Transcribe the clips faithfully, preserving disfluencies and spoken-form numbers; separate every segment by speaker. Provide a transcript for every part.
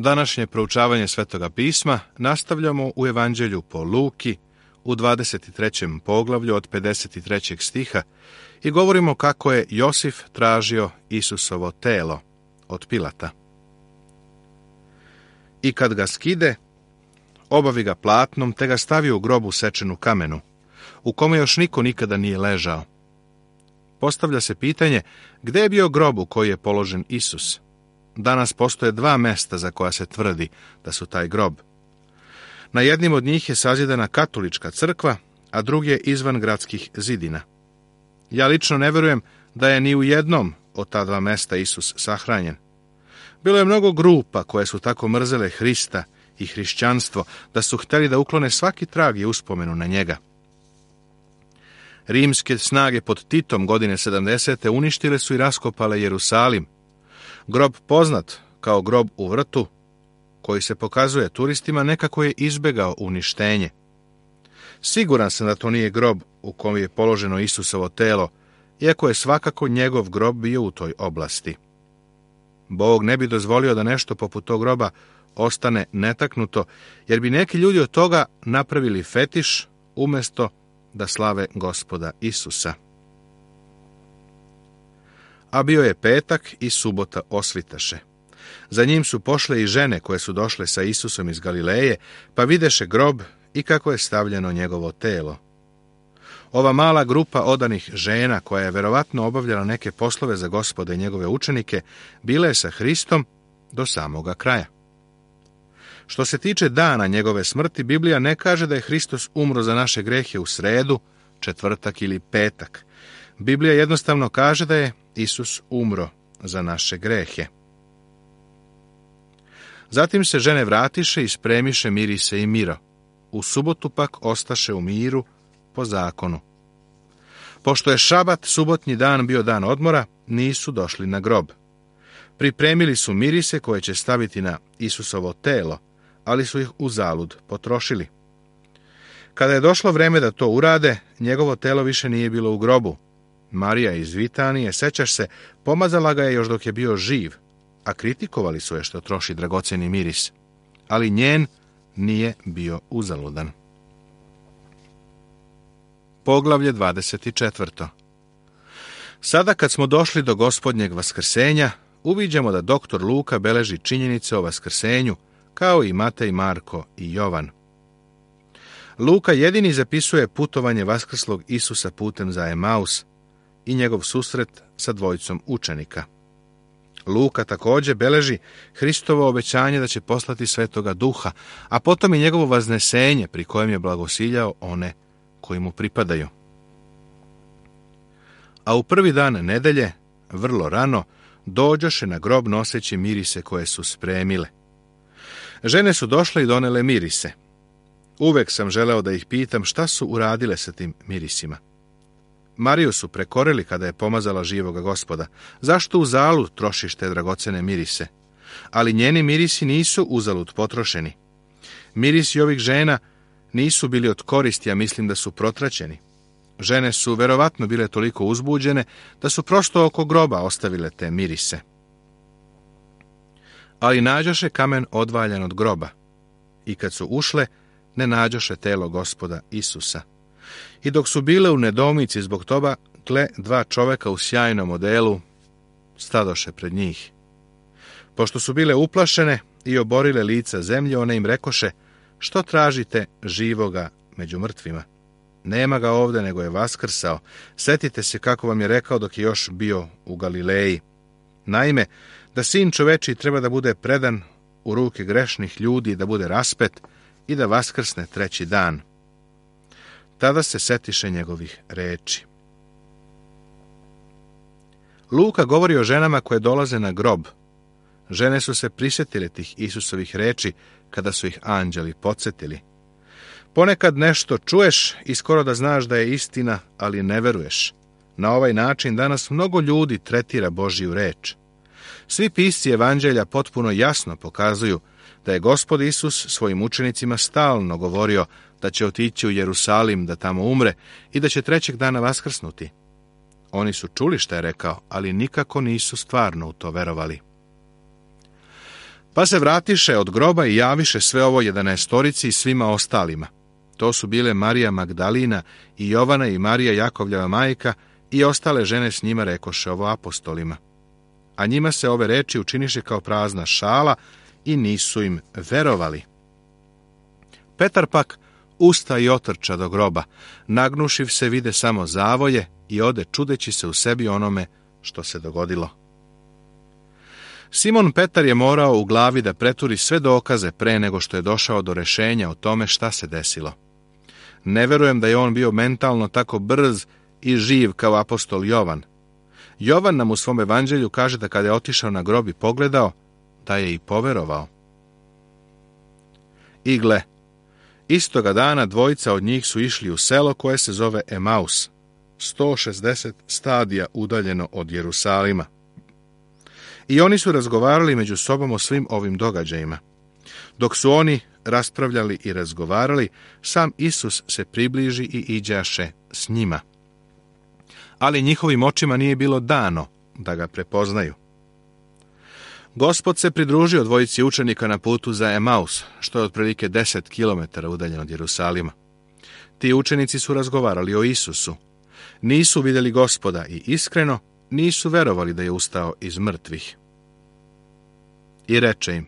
Speaker 1: Današnje proučavanje Svetoga pisma nastavljamo u Evanđelju po Luki u dvadeset trećem poglavlju od pedeset trećeg stiha i govorimo kako je Josif tražio Isusovo telo od Pilata. I kad ga skide, obavi ga platnom, te ga stavi u grobu sečenu kamenu, u kome još niko nikada nije ležao. Postavlja se pitanje, gde je bio grob u koji je položen Isus? Danas postoje dva mesta za koja se tvrdi da su taj grob. Na jednim od njih je sazidana katolička crkva, a drugi je izvan gradskih zidina. Ja lično ne verujem da je ni u jednom od ta dva mesta Isus sahranjen. Bilo je mnogo grupa koje su tako mrzele Hrista i hrišćanstvo da su htjeli da uklone svaki trag i uspomenu na njega. Rimske snage pod Titom godine sedamdesete uništile su i raskopale Jerusalim. Grob poznat kao grob u vrtu, koji se pokazuje turistima, nekako je izbegao uništenje. Siguran sam da to nije grob u kojem je položeno Isusovo telo, iako je svakako njegov grob bio u toj oblasti. Bog ne bi dozvolio da nešto poput tog groba ostane netaknuto, jer bi neki ljudi od toga napravili fetiš umjesto da slave Gospoda Isusa. A bio je petak i subota osvitaše. Za njim su pošle i žene koje su došle sa Isusom iz Galileje, pa videše grob i kako je stavljeno njegovo telo. Ova mala grupa odanih žena, koja je verovatno obavljala neke poslove za Gospoda i njegove učenike, bila je sa Hristom do samoga kraja. Što se tiče dana njegove smrti, Biblija ne kaže da je Hristos umro za naše grehe u sredu, četvrtak ili petak. Biblija jednostavno kaže da je Isus umro za naše grehe. Zatim se žene vratiše i spremiše mirise i miro. U subotu pak ostaše u miru po zakonu. Pošto je šabat, subotnji dan, bio dan odmora, nisu došli na grob. Pripremili su mirise koje će staviti na Isusovo telo, ali su ih uzalud potrošili. Kada je došlo vreme da to urade, njegovo telo više nije bilo u grobu. Marija iz Vitanije, sećaš se, pomazala ga je još dok je bio živ, a kritikovali su je što troši dragoceni miris. Ali njen nije bio uzaludan. Poglavlje dvadeset četvrto. Sada kad smo došli do Gospodnjeg vaskrsenja, uviđamo da doktor Luka beleži činjenice o vaskrsenju, kao i Matej, Marko i Jovan. Luka jedini zapisuje putovanje vaskrslog Isusa putem za Emaus i njegov susret sa dvojicom učenika. Luka također beleži Hristovo obećanje da će poslati Svetoga Duha, a potom i njegovo vaznesenje pri kojem je blagosiljao one koji mu pripadaju. A u prvi dan nedelje, vrlo rano, dođoše na grob noseći mirise koje su spremile. Žene su došle i donele mirise. Uvek sam želeo da ih pitam šta su uradile sa tim mirisima. Mariju su prekorili kada je pomazala živoga Gospoda. Zašto uzalud trošiš te dragocene mirise? Ali njeni mirisi nisu uzalud potrošeni. Mirisi ovih žena nisu bili od koristi, a mislim da su protraćeni. Žene su verovatno bile toliko uzbuđene da su prosto oko groba ostavile te mirise. Ali nađoše kamen odvaljan od groba. I kad su ušle, ne nađoše telo Gospoda Isusa. I dok su bile u nedoumici zbog toga, gle, dva čoveka u sjajnom odelu stadoše pred njih. Pošto su bile uplašene i oborile lica zemlje, one im rekoše, što tražite živoga među mrtvima? Nema ga ovde, nego je vaskrsao. Setite se kako vam je rekao dok je još bio u Galileji. Naime, da sin čoveči treba da bude predan u ruke grešnih ljudi, da bude raspet i da vaskrsne treći dan. Tada se setiše njegovih reči. Luka govori o ženama koje dolaze na grob. Žene su se prisjetile tih Isusovih reči kada su ih anđeli podsjetili. Ponekad nešto čuješ i skoro da znaš da je istina, ali ne veruješ. Na ovaj način danas mnogo ljudi tretira Božju reč. Svi pisci evanđelja potpuno jasno pokazuju da je Gospod Isus svojim učenicima stalno govorio da će otići u Jerusalim da tamo umre i da će trećeg dana vaskrsnuti. Oni su čuli šta je rekao, ali nikako nisu stvarno u to verovali. Pa se vratiše od groba i javiše sve ovo jedanaestorici i svima ostalima. To su bile Marija Magdalina i Jovana i Marija Jakovljeva majka i ostale žene s njima rekoše ovo apostolima. A njima se ove reči učiniše kao prazna šala i nisu im verovali. Petar pak usta i otrča do groba, nagnušiv se vide samo zavoje i ode čudeći se u sebi onome što se dogodilo. Simon Petar je morao u glavi da preturi sve dokaze pre nego što je došao do rešenja o tome šta se desilo. Ne verujem da je on bio mentalno tako brz i živ kao apostol Jovan. Jovan nam u svom evanđelju kaže da kada je otišao na grob i pogledao, da je i poverovao. I gle, istoga dana dvojica od njih su išli u selo koje se zove Emaus, sto šezdeset stadija udaljeno od Jerusalima. I oni su razgovarali među sobom o svim ovim događajima. Dok su oni raspravljali i razgovarali, sam Isus se približi i iđaše s njima. Ali njihovim očima nije bilo dano da ga prepoznaju. Gospod se pridružio dvojici učenika na putu za Emaus, što je otprilike deset kilometara udaljeno od Jerusalima. Ti učenici su razgovarali o Isusu. Nisu vidjeli Gospoda i iskreno nisu verovali da je ustao iz mrtvih. I reče im,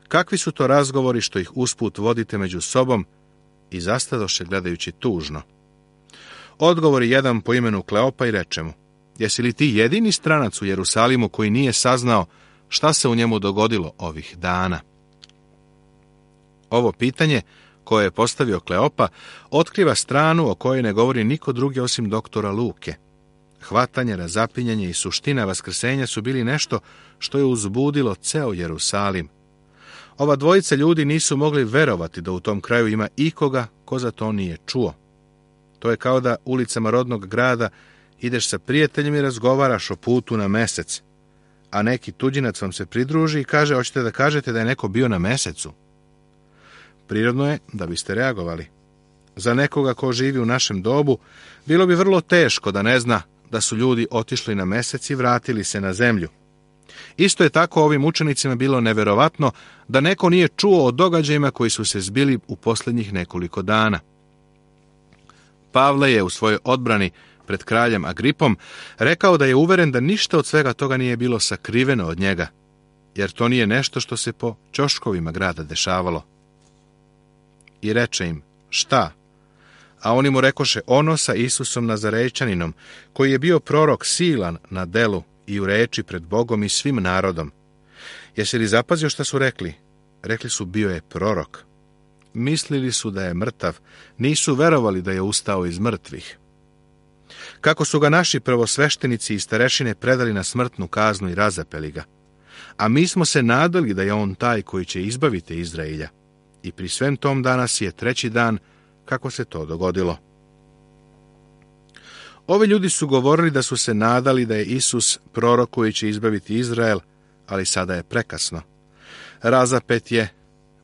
Speaker 1: kakvi su to razgovori što ih usput vodite među sobom, i zastadoše gledajući tužno. Odgovori jedan po imenu Kleopa i reče mu, jesi li ti jedini stranac u Jerusalimu koji nije saznao šta se u njemu dogodilo ovih dana? Ovo pitanje, koje je postavio Kleopa, otkriva stranu o kojoj ne govori niko drugi osim doktora Luke. Hvatanje, razapinjanje i suština vaskrsenja su bili nešto što je uzbudilo ceo Jerusalim. Ova dvojica ljudi nisu mogli verovati da u tom kraju ima ikoga ko za to nije čuo. To je kao da ulicama rodnog grada ideš sa prijateljem i razgovaraš o putu na mesec, a neki tuđinac vam se pridruži i kaže, hoćete da kažete da je neko bio na mesecu? Prirodno je da biste reagovali. Za nekoga ko živi u našem dobu, bilo bi vrlo teško da ne zna da su ljudi otišli na mesec i vratili se na zemlju. Isto je tako ovim učenicima bilo neverovatno da neko nije čuo o događajima koji su se zbili u posljednjih nekoliko dana. Pavle je u svojoj odbrani pred kraljem Agripom rekao da je uveren da ništa od svega toga nije bilo sakriveno od njega, jer to nije nešto što se po ćoškovima grada dešavalo. I reče im, šta? A oni mu rekoše, ono sa Isusom Nazarejčaninom, koji je bio prorok silan na delu i u reči pred Bogom i svim narodom. Jesi li zapazio šta su rekli? Rekli su, bio je prorok. Mislili su da je mrtav, nisu verovali da je ustao iz mrtvih. Kako su ga naši prvosveštenici i starešine predali na smrtnu kaznu i razapeli ga. A mi smo se nadali da je on taj koji će izbaviti Izraelja. I pri svem tom danas je treći dan kako se to dogodilo. Ovi ljudi su govorili da su se nadali da je Isus prorok koji će izbaviti Izrael, ali sada je prekasno. Razapet je,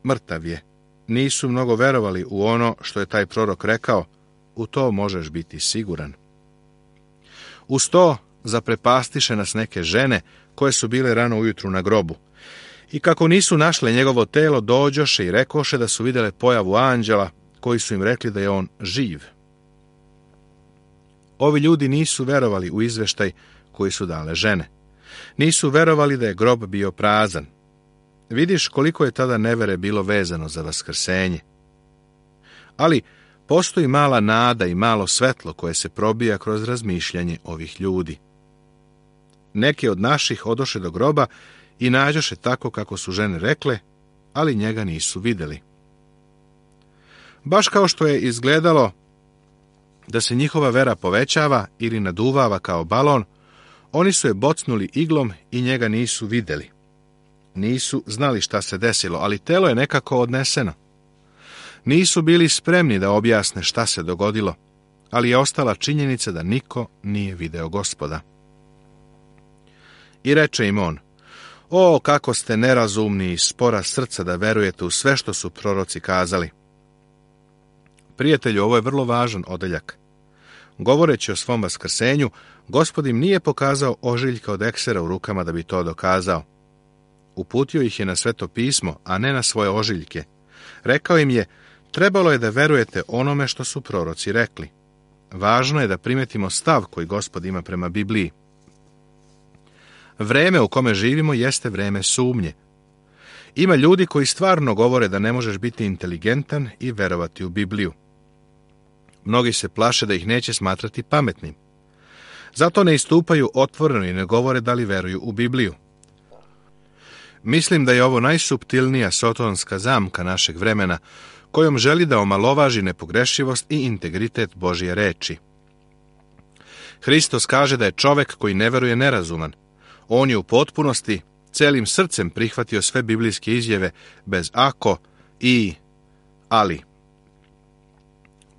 Speaker 1: mrtav je. Nisu mnogo verovali u ono što je taj prorok rekao, u to možeš biti siguran. Uz to zaprepastiše nas neke žene koje su bile rano ujutru na grobu. I kako nisu našle njegovo telo, dođoše i rekoše da su vidjele pojavu anđela, koji su im rekli da je on živ. Ovi ljudi nisu verovali u izveštaj koji su dale žene. Nisu verovali da je grob bio prazan. Vidiš koliko je tada nevere bilo vezano za vaskrsenje. Ali postoji mala nada i malo svetlo koje se probija kroz razmišljanje ovih ljudi. Neki od naših odoše do groba i nađoše tako kako su žene rekle, ali njega nisu vidjeli. Baš kao što je izgledalo da se njihova vera povećava ili naduvava kao balon, oni su je bocnuli iglom i njega nisu vidjeli. Nisu znali šta se desilo, ali telo je nekako odneseno. Nisu bili spremni da objasne šta se dogodilo, ali je ostala činjenica da niko nije video Gospoda. I reče im on, o, kako ste nerazumni i spora srca da verujete u sve što su proroci kazali. Prijatelju, ovo je vrlo važan odeljak. Govoreći o svom vaskrsenju, Gospod im nije pokazao ožiljka od eksera u rukama da bi to dokazao. Uputio ih je na Sveto pismo, a ne na svoje ožiljke. Rekao im je, trebalo je da verujete onome što su proroci rekli. Važno je da primetimo stav koji Gospod ima prema Bibliji. Vreme u kome živimo jeste vreme sumnje. Ima ljudi koji stvarno govore da ne možeš biti inteligentan i verovati u Bibliju. Mnogi se plaše da ih neće smatrati pametnim. Zato ne istupaju otvoreno i ne govore da li veruju u Bibliju. Mislim da je ovo najsuptilnija sotonska zamka našeg vremena, kojom želi da omalovaži nepogrešivost i integritet Božje reči. Hristos kaže da je čovek koji ne veruje nerazuman. On je u potpunosti, celim srcem prihvatio sve biblijske izjave bez ako i ali.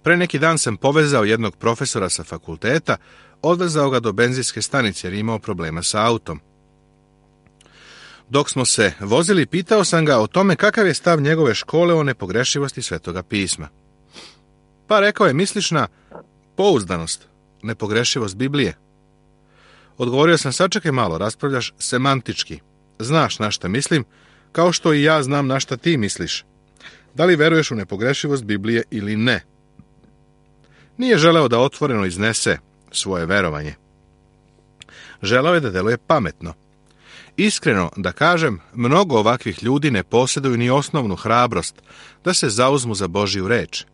Speaker 1: Pre neki dan sam povezao jednog profesora sa fakulteta, odvezao ga do benzinske stanice jer imao problema sa autom. Dok smo se vozili, pitao sam ga o tome kakav je stav njegove škole o nepogrešivosti Svetoga pisma. Pa rekao je, misliš na pouzdanost, nepogrešivost Biblije? Odgovorio sam, sačekaj malo, raspravljaš semantički. Znaš na šta mislim, kao što i ja znam na šta ti misliš. Da li veruješ u nepogrešivost Biblije ili ne? Nije želeo da otvoreno iznese svoje verovanje. Želeo je da deluje pametno. Iskreno da kažem, mnogo ovakvih ljudi ne posjeduju ni osnovnu hrabrost da se zauzmu za Božju reč.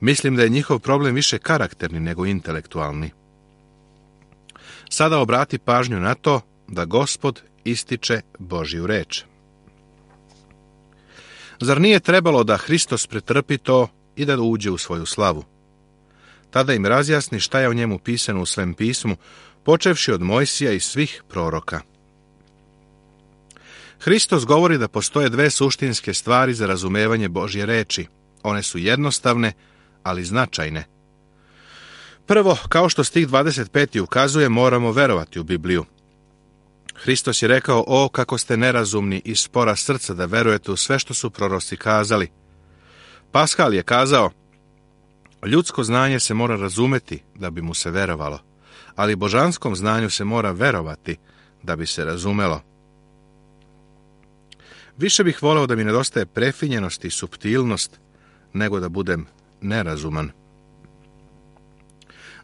Speaker 1: Mislim da je njihov problem više karakterni nego intelektualni. Sada obrati pažnju na to da Gospod ističe Božju reč. Zar nije trebalo da Hristos pretrpi to i da uđe u svoju slavu? Tada im razjasni šta je o njemu pisano u Svetom pismu, počevši od Mojsija i svih proroka. Hristos govori da postoje dve suštinske stvari za razumevanje Božje reči. One su jednostavne, ali značajne. Prvo, kao što stih dvadeset peti ukazuje, moramo verovati u Bibliju. Hristos je rekao, o, kako ste nerazumni i spora srca da verujete u sve što su proroci kazali. Paskal je kazao, ljudsko znanje se mora razumeti da bi mu se verovalo, ali božanskom znanju se mora verovati da bi se razumelo. Više bih voleo da mi nedostaje prefinjenost i suptilnost, nego da budem nerazuman.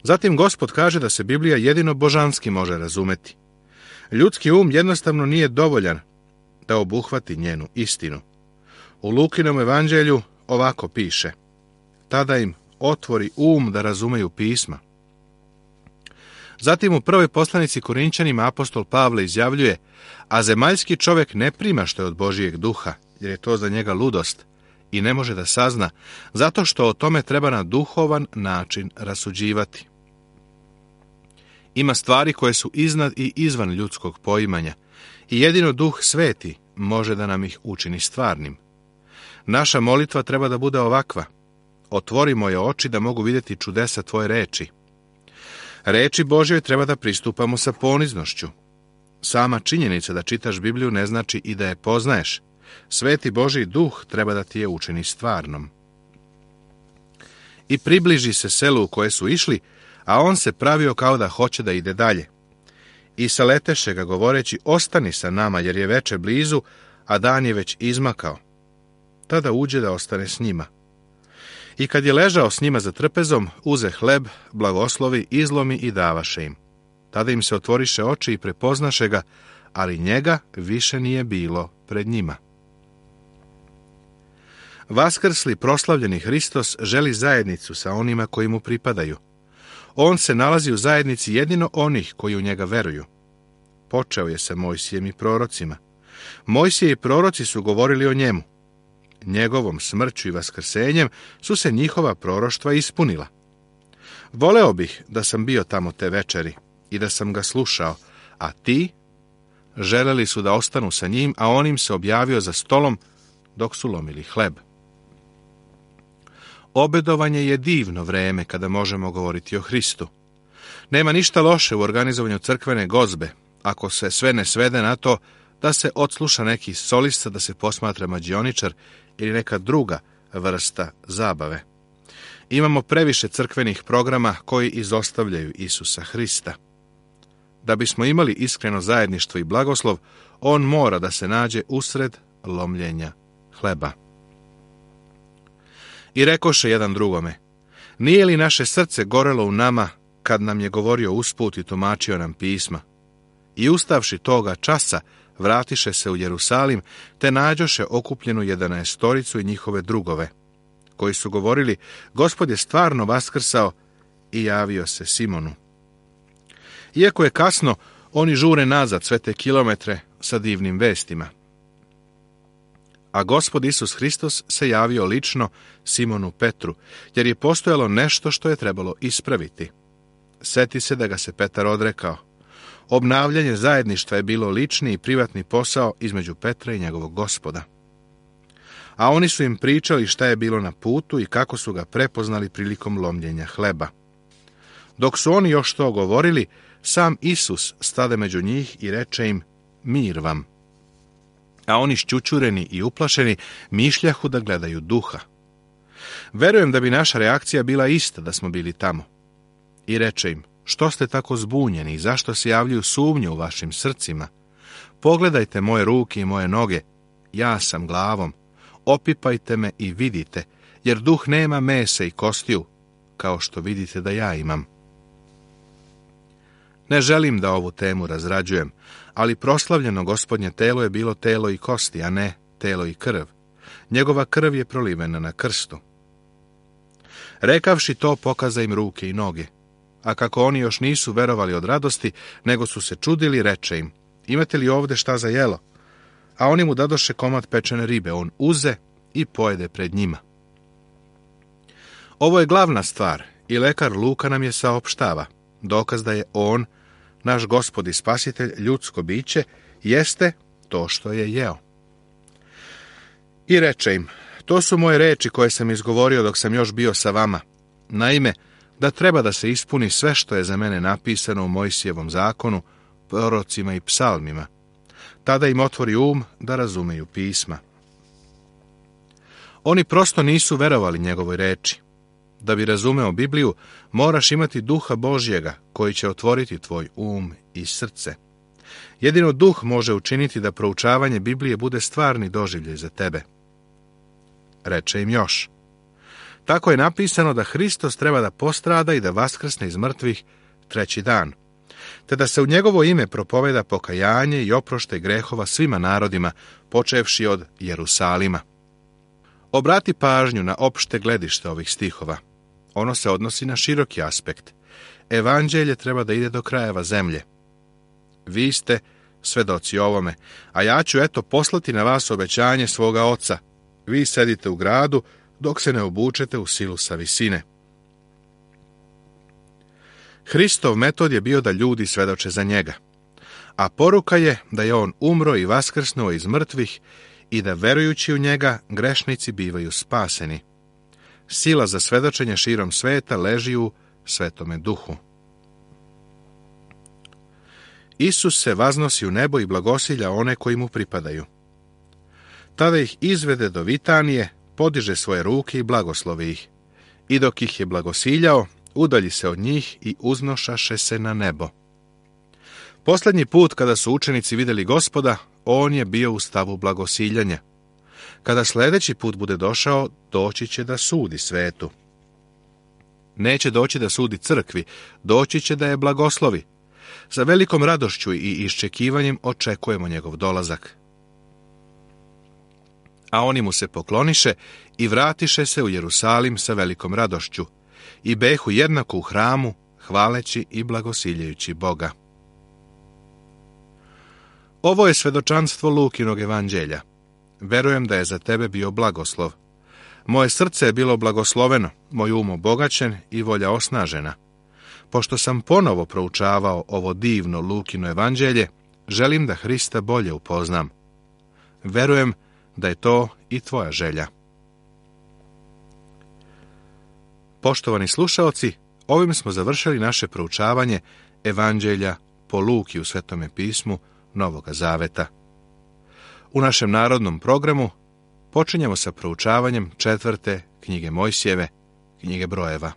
Speaker 1: Zatim Gospod kaže da se Biblija jedino božanski može razumeti. Ljudski um jednostavno nije dovoljan da obuhvati njenu istinu. U Lukinom evanđelju ovako piše, tada im otvori um da razumeju pisma. Zatim u prvoj poslanici Korinćanima apostol Pavle izjavljuje, a zemaljski čovjek ne prima što je od Božijeg duha, jer je to za njega ludost i ne može da sazna, zato što o tome treba na duhovan način rasuđivati. Ima stvari koje su iznad i izvan ljudskog poimanja i jedino Duh Sveti može da nam ih učini stvarnim. Naša molitva treba da bude ovakva. Otvori moje oči da mogu vidjeti čudesa tvoje reči. Reči Božjoj treba da pristupamo sa poniznošću. Sama činjenica da čitaš Bibliju ne znači i da je poznaješ. Sveti Božji duh treba da ti je učini stvarnom. I približi se selu u koje su išli, a on se pravio kao da hoće da ide dalje. I saleteše ga govoreći, ostani sa nama jer je veče blizu, a dan je već izmakao. Tada uđe da ostane s njima. I kad je ležao s njima za trpezom, uze hleb, blagoslovi, izlomi i davaše im. Tada im se otvoriše oči i prepoznaše ga, ali njega više nije bilo pred njima. Vaskrsli proslavljeni Hristos želi zajednicu sa onima koji mu pripadaju. On se nalazi u zajednici jedino onih koji u njega veruju. Počeo je sa Mojsijem i prorocima. Mojsije i proroci su govorili o njemu. Njegovom smrću i vaskrsenjem su se njihova proroštva ispunila. Voleo bih da sam bio tamo te večeri i da sam ga slušao, a ti želeli su da ostanu sa njim, a on im se objavio za stolom dok su lomili hleb. Obedovanje je divno vreme kada možemo govoriti o Hristu. Nema ništa loše u organizovanju crkvene gozbe, ako se sve ne svede na to da se odsluša neki solista, da se posmatra mađioničar ili neka druga vrsta zabave. Imamo previše crkvenih programa koji izostavljaju Isusa Hrista. Da bismo imali iskreno zajedništvo i blagoslov, on mora da se nađe usred lomljenja hleba. I rekoše jedan drugome, nije li naše srce gorelo u nama kad nam je govorio usput i tumačio nam pisma? I ustavši toga časa, vratiše se u Jerusalim, te nađoše okupljenu jedanaestoricu i njihove drugove, koji su govorili, Gospod je stvarno vaskrsao i javio se Simonu. Iako je kasno, oni žure nazad sve te kilometre sa divnim vestima. A Gospod Isus Hristos se javio lično Simonu Petru, jer je postojalo nešto što je trebalo ispraviti. Seti se da ga se Petar odrekao. Obnavljanje zajedništva je bilo lični i privatni posao između Petra i njegovog Gospoda. A oni su im pričali šta je bilo na putu i kako su ga prepoznali prilikom lomljenja hleba. Dok su oni još to govorili, sam Isus stade među njih i reče im, mir vam. A oni šćućureni i uplašeni mišljahu da gledaju duha. Verujem da bi naša reakcija bila ista da smo bili tamo. I reče im, što ste tako zbunjeni i zašto se javljaju sumnje u vašim srcima? Pogledajte moje ruke i moje noge, ja sam glavom, opipajte me i vidite, jer duh nema mesa i kostiju, kao što vidite da ja imam. Ne želim da ovu temu razrađujem, ali proslavljeno Gospodnje telo je bilo telo i kosti, a ne telo i krv. Njegova krv je prolivena na krstu. Rekavši to, pokaza im ruke i noge. A kako oni još nisu verovali od radosti, nego su se čudili, reče im, imate li ovde šta za jelo? A oni mu dadoše komad pečene ribe, on uze i pojede pred njima. Ovo je glavna stvar i lekar Luka nam je saopštava, dokaz da je on, naš Gospod i Spasitelj, ljudsko biće, jeste to što je jeo. I reče im, to su moje reči koje sam izgovorio dok sam još bio sa vama. Naime, da treba da se ispuni sve što je za mene napisano u Mojsijevom zakonu, prorocima i psalmima. Tada im otvori um da razumeju pisma. Oni prosto nisu verovali njegovoj reči. Da bi razumeo Bibliju, moraš imati duha Božjega koji će otvoriti tvoj um i srce. Jedino duh može učiniti da proučavanje Biblije bude stvarni doživljaj za tebe. Reče im još. Tako je napisano da Hristos treba da postrada i da vaskrsne iz mrtvih treći dan, te da se u njegovo ime propoveda pokajanje i oproštaj grehova svima narodima, počevši od Jerusalima. Obrati pažnju na opšte gledište ovih stihova. Ono se odnosi na široki aspekt. Evanđelje treba da ide do krajeva zemlje. Vi ste svedoci ovome, a ja ću eto poslati na vas obećanje svoga oca. Vi sedite u gradu, dok se ne obučete u silu sa visine. Hristov metod je bio da ljudi svedoče za njega, a poruka je da je on umro i vaskrsnuo iz mrtvih i da verujući u njega grešnici bivaju spaseni. Sila za svedočenje širom sveta leži u Svetome Duhu. Isus se vaznosi u nebo i blagosilja one koji mu pripadaju. Tada ih izvede do Vitanije, podiže svoje ruke i blagoslovi ih. I dok ih je blagosiljao, udalji se od njih i uznošaše se na nebo. Posljednji put kada su učenici vidjeli Gospoda, on je bio u stavu blagosiljanja. Kada sljedeći put bude došao, doći će da sudi svetu. Neće doći da sudi crkvi, doći će da je blagoslovi. Sa velikom radošću i iščekivanjem očekujemo njegov dolazak. A oni mu se pokloniše i vratiše se u Jerusalim sa velikom radošću i behu jednako u hramu, hvaleći i blagosiljajući Boga. Ovo je svedočanstvo Lukinog evanđelja. Verujem da je za tebe bio blagoslov. Moje srce je bilo blagosloveno, moj um obogaćen i volja osnažena. Pošto sam ponovo proučavao ovo divno Lukino evanđelje, želim da Hrista bolje upoznam. Verujem da je to i tvoja želja. Poštovani slušaoci, ovim smo završili naše proučavanje evanđelja po Luki u Svetome pismu Novoga Zaveta. U našem narodnom programu počinjemo sa proučavanjem četvrte knjige Mojsijeve, knjige Brojeva.